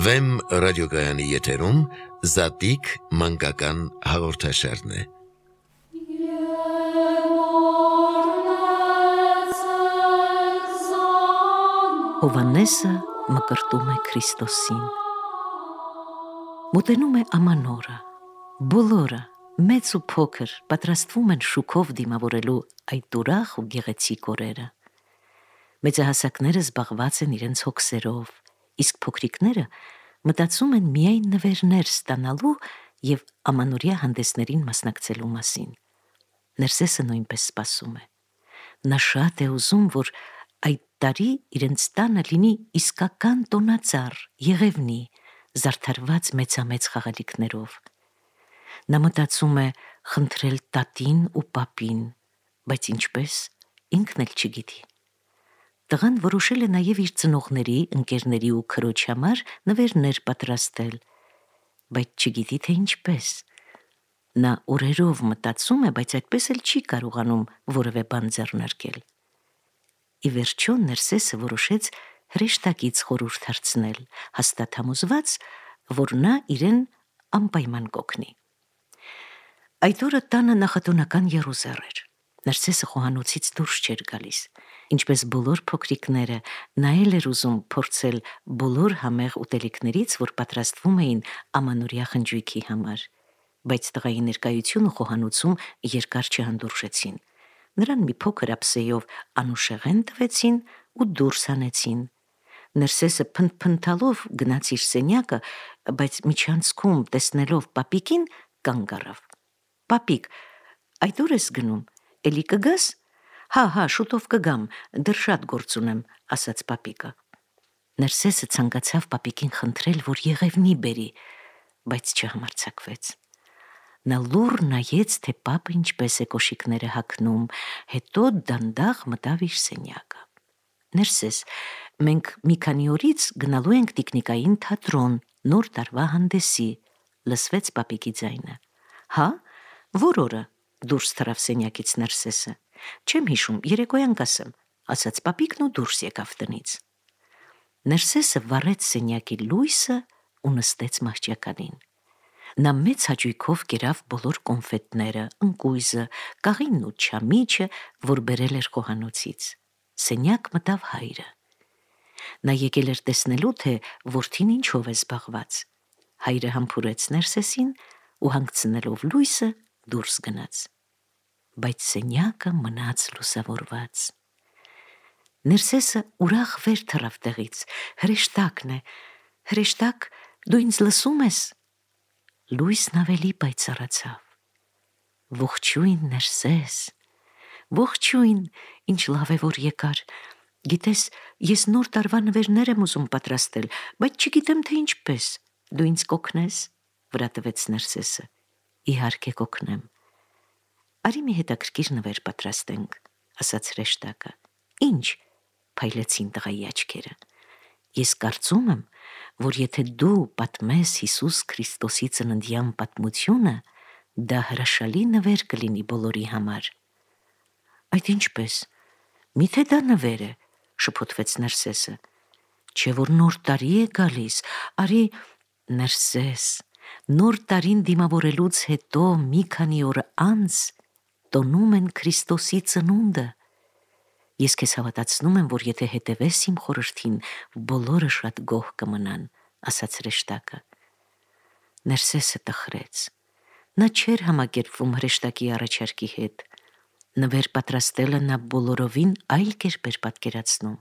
Վեմ ռադիոգայանի եթերում Զատիկ մանկական հաղորդաշարն է։ Հովհաննեսը մկրտում է Քրիստոսին։ Մոտենում է ամանորը, բոլորը, մեծ ու փոքր, պատրաստվում են շուքով դիմավորելու այդ ուրախ ու գեղեցիկ օրերը։ Մեծահասակները զբաղված են իրենց հոգսերով, իսկ փոքրիկները մտածում են միայն նվերներ ստանալու և ամանորյա հանդեսներին մասնակցելու մասին։ Ներսեսը նույնպես սպասում է։ Նա շատ է ուզում, որ այդ տարի իրենց տանը լինի իսկական տոնածառ, եղևնի, զարդարված մեծամեծ խաղալիքներով։ Նա մտածում է խնդրել տատին ու պապին, բայց ինչպես, ինքն էլ չգիտի։ Տղան որոշել է նաև իր ծնողների, ընկերների ու քրոջ համար նվերներ պատրաստել, բայց չգիտի, թե ինչպես։ Նա օրերով մտածում է, բայց այդպես էլ չի կարողանում որևէ բան ձեռնարկել։ Ի վերջո Ներսեսը որոշեց հրեշտակից խորհուրդ հարցնել, հաստատ համոզված, որ նա իրեն անպայման կօգնի։ Այդ օրը տանը նախատոնական եռուզեռ էր։ Ներսեսը խոհանոցից դուրս չէր գալիս։ Ինչպես բոլոր փոքրիկները, նա էլ էր ուզում փորձել բոլոր համեղ ուտելիքներից, որ պատրաստվում էին ամանորյա խնջույքի համար, բայց տղայի ներկայությունը խոհանոցում երկար չհանդուրժեցին։ Նրան մի փոքր ափսեով անուշեղեն տվեցին ու դուրս հանեցին։ Ներսեսը փնթփնթալով գնաց իր սենյակը, բայց միջանցքում տեսնելով պապիկին կանգ առավ։ Պապիկ, այդ ուր ես գնում, էլի կգաս։ Հա, շուտով կգամ, դեռ շատ գործ ունեմ, ասաց պապիկը։ Ներսեսը ցանկացավ պապիկին խնդրել, որ եղևնի բերի, բայց չհամարձակվեց։ Նա լուռ նայեց, թե պապը ինչպես է կոշիկները հագնում, հետո դանդաղ մտավ իր սենյակը։ Ներսես, մենք մի քանի օրից գնալու ենք տիկնիկային թատրոն, նոր տարվա հանդեսի, լսվեց պապիկի ձայնը։ Հա, որ օրը, դուրս թռավ սենյակից Ներսեսը։ Չեմ հիշում, երեկոյան կասեմ, ասաց պապիկն ու դուրս եկավ տնից։ Ներսեսը վառեց սենյակի լույսը ու նստեց մահճականին։ Նա մեծ հաճույքով կերավ բոլոր կոնֆետները, ընկույզը, կաղինն ու չամիչը, որ բերել էր խոհանոցից։ Սենյակ մտավ հայրը։ Նա եկել էր տեսնելու, թե որդին ինչով է զբաղված։ Հայրը համբուրեց Ներսեսին ու հանգցնելով լույսը դուրս գնաց։ Բայց սենյակը մնաց լուսավորված։ Ներսեսը ուրախ վեր թռավ տեղից։ Հրեշտակն է։ Հրեշտակ, դու ինձ լսում ես։ Լույսն ավելի պայծառացավ։ Ողջույն, Ներսես։ Ողջույն, ինչ լավ է, որ եկար։ Գիտես, ես նոր տարվա նվերներ եմ ուզում պատրաստել, բայց չգիտեմ, թե ինչպես։ Դու ինձ կօգնես, վրա տվեց Ներսեսը։ Իհարկե կօգնեմ։ Արի մի հետաքրքիր նվեր պատրաստենք, ասաց հրեշտակը։ Ինչ, փայլեցին տղայի աչքերը։ Ես կարծում եմ, որ եթե դու պատմես Հիսուս Քրիստոսի ծննդյան պատմությունը, դա հրաշալի նվեր կլինի բոլորի համար։ Այդ ինչպես, միթե դա նվեր է, շփոթվեց Ներսեսը։ Չէ որ նոր տարի է գալիս, արի, Ներսես, նոր տարին դիմավորելուց հետո մի քանի օր անց տոնում են Քրիստոսի ծնունդը։ Ես քեզ հավատացնում եմ, որ եթե հետևես իմ խորհրդին, բոլորը շատ գոհ կմնան, ասաց հրեշտակը։ Ներսեսը տխրեց։ Նա չէր համակերպվում հրեշտակի առաջարկի հետ։ Նվեր պատրաստելը նա բոլորովին այլ կերպ էր պատկերացնում։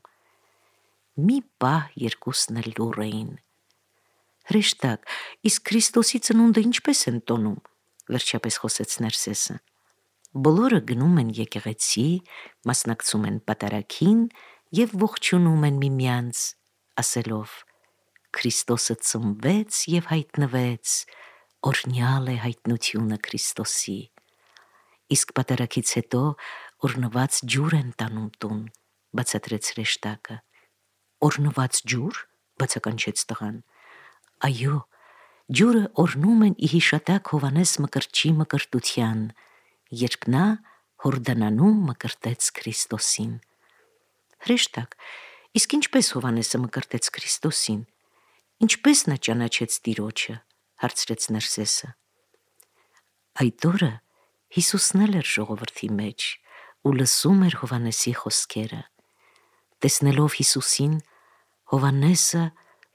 Մի պահ երկուսն էլ լուռ էին։ Հրեշտակ, իսկ Քրիստոսի ծնունդը ինչպես են տոնում, վերջապես խոսեց Ներսեսը։ Բոլորը գնում են եկեղեցի, մասնակցում են պատարագին և ողջունում են միմյանց, ասելով. Քրիստոսը ծնվեց և հայտնվեց, օրհնյալ է հայտնությունը Քրիստոսի։ Իսկ պատարագից հետո օրհնված ջուր են տանում տուն, բացատրեց հրեշտակը։ Օրհնված ջուր, բացականչեց տղան։ Այո, ջուրը օրհնում են ի հիշատակ Հովհաննես Մկրտչի մկրտության, երբ նա Հորդանանում մկրտեց Քրիստոսին։ Հրեշտակ, իսկ ինչպես Հովհաննեսը մկրտեց Քրիստոսին։ Ինչպես նա ճանաչեց Տիրոջը, հարցրեց Ներսեսը։ Այդ օրը Հիսուսն էլ էր ժողովրդի մեջ ու լսում էր Հովհաննեսի խոսքերը։ Տեսնելով Հիսուսին, Հովհաննեսը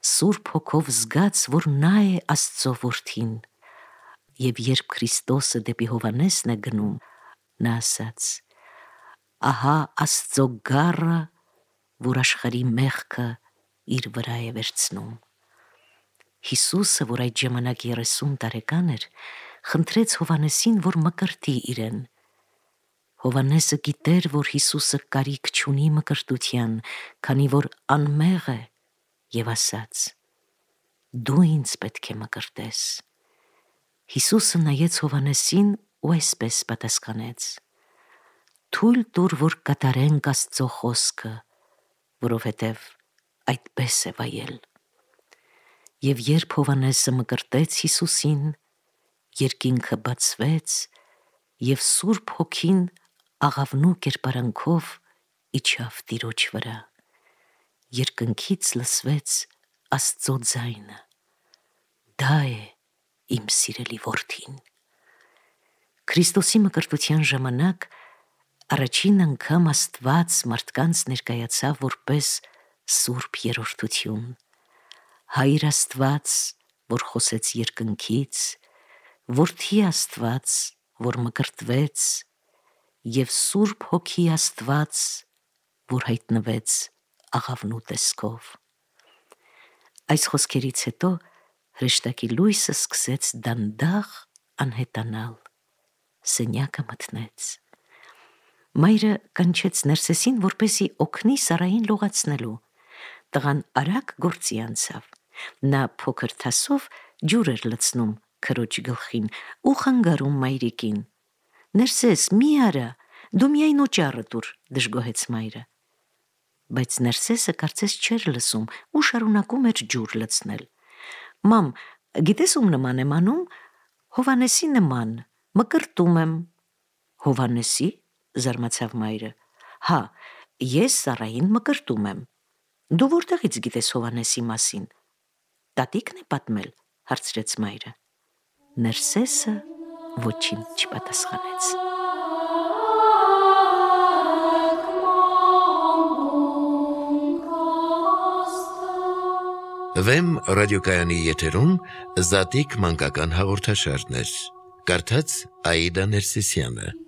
Սուրբ Հոգով զգաց, որ նա է Աստծո որդին, եւ երբ Քրիստոսը դեպի Հովհաննեսն է գնում, նա ասաց. «Ահա Աստծո գառը, որ աշխարհի մեղքը իր վրա է վերցնում»։ Հիսուսը, որ այդ ժամանակ 30 տարեկան էր, խնդրեց Հովհաննեսին, որ մկրտի իրեն։ Հովհաննեսը գիտեր, որ Հիսուսը կարիք չունի մկրտության, քանի որ անմեղ է, եւ ասաց. «Դու ինձ պետք է մկրտես»։ Հիսուսը նայեց Հովհաննեսին ու այսպես պատասխանեց. «Թույլ տուր, որ կատարենք Աստծո խոսքը, որովհետև այդպես է վայել»։ Եվ երբ Հովհաննեսը մկրտեց Հիսուսին, երկինքը բացվեց, եւ Սուրբ Հոգին աղավնու կերպարանքով իջավ Տիրոջ վրա։ Երկնքից լսվեց Աստծո ձայնը. «Դա է իմ սիրելի որդին»։ Քրիստոսի մկրտության ժամանակ առաջին անգամ Աստված մարդկանց ներկայացավ որպես Սուրբ Երրորդություն։ Հայր Աստված, որ խոսեց երկնքից, Որդի Աստված, որ մկրտվեց, եւ Սուրբ Հոգի Աստված, որ հայտնվեց աղավնու տեսքով։ Այս խոսքերից հետո հրեշտակի լույսը սկսեց դանդաղ անհետանալ, սենյակը մթնեց։ Մայրը կանչեց Ներսեսին, որպեսզի օգնի Սարային լողացնելու։ Տղան արագ գործի անցավ։ Նա փոքր թասով ջուր էր լցնում քրոջ գլխին ու խանգարում մայրիկին։ «Ներսես, մի արա, դու միայն օճառը տուր», դժգոհեց մայրը։ Բայց Ներսեսը կարծես չէր լսում ու շարունակում էր ջուր լցնել։ «Մամ, գիտես ում նման եմ անում»։ «Հովհաննեսի նման, մկրտում եմ»։ «Հովհաննեսի»։ Զարմացավ մայրը։ «Հա, ես Սարային մկրտում եմ»։ «Դու որտեղից գիտես Հովհաննեսի մասին»։ «Տատիկն է պատմել», հարցրեց մայրը։ Ներսեսը ոչինչ չպատասխանեց։ Վեմ ռադիոկայանի եթերում Զատիկ մանկական հաղորդաշարներ։ Կարդաց Աիդա Ներսիսյանը։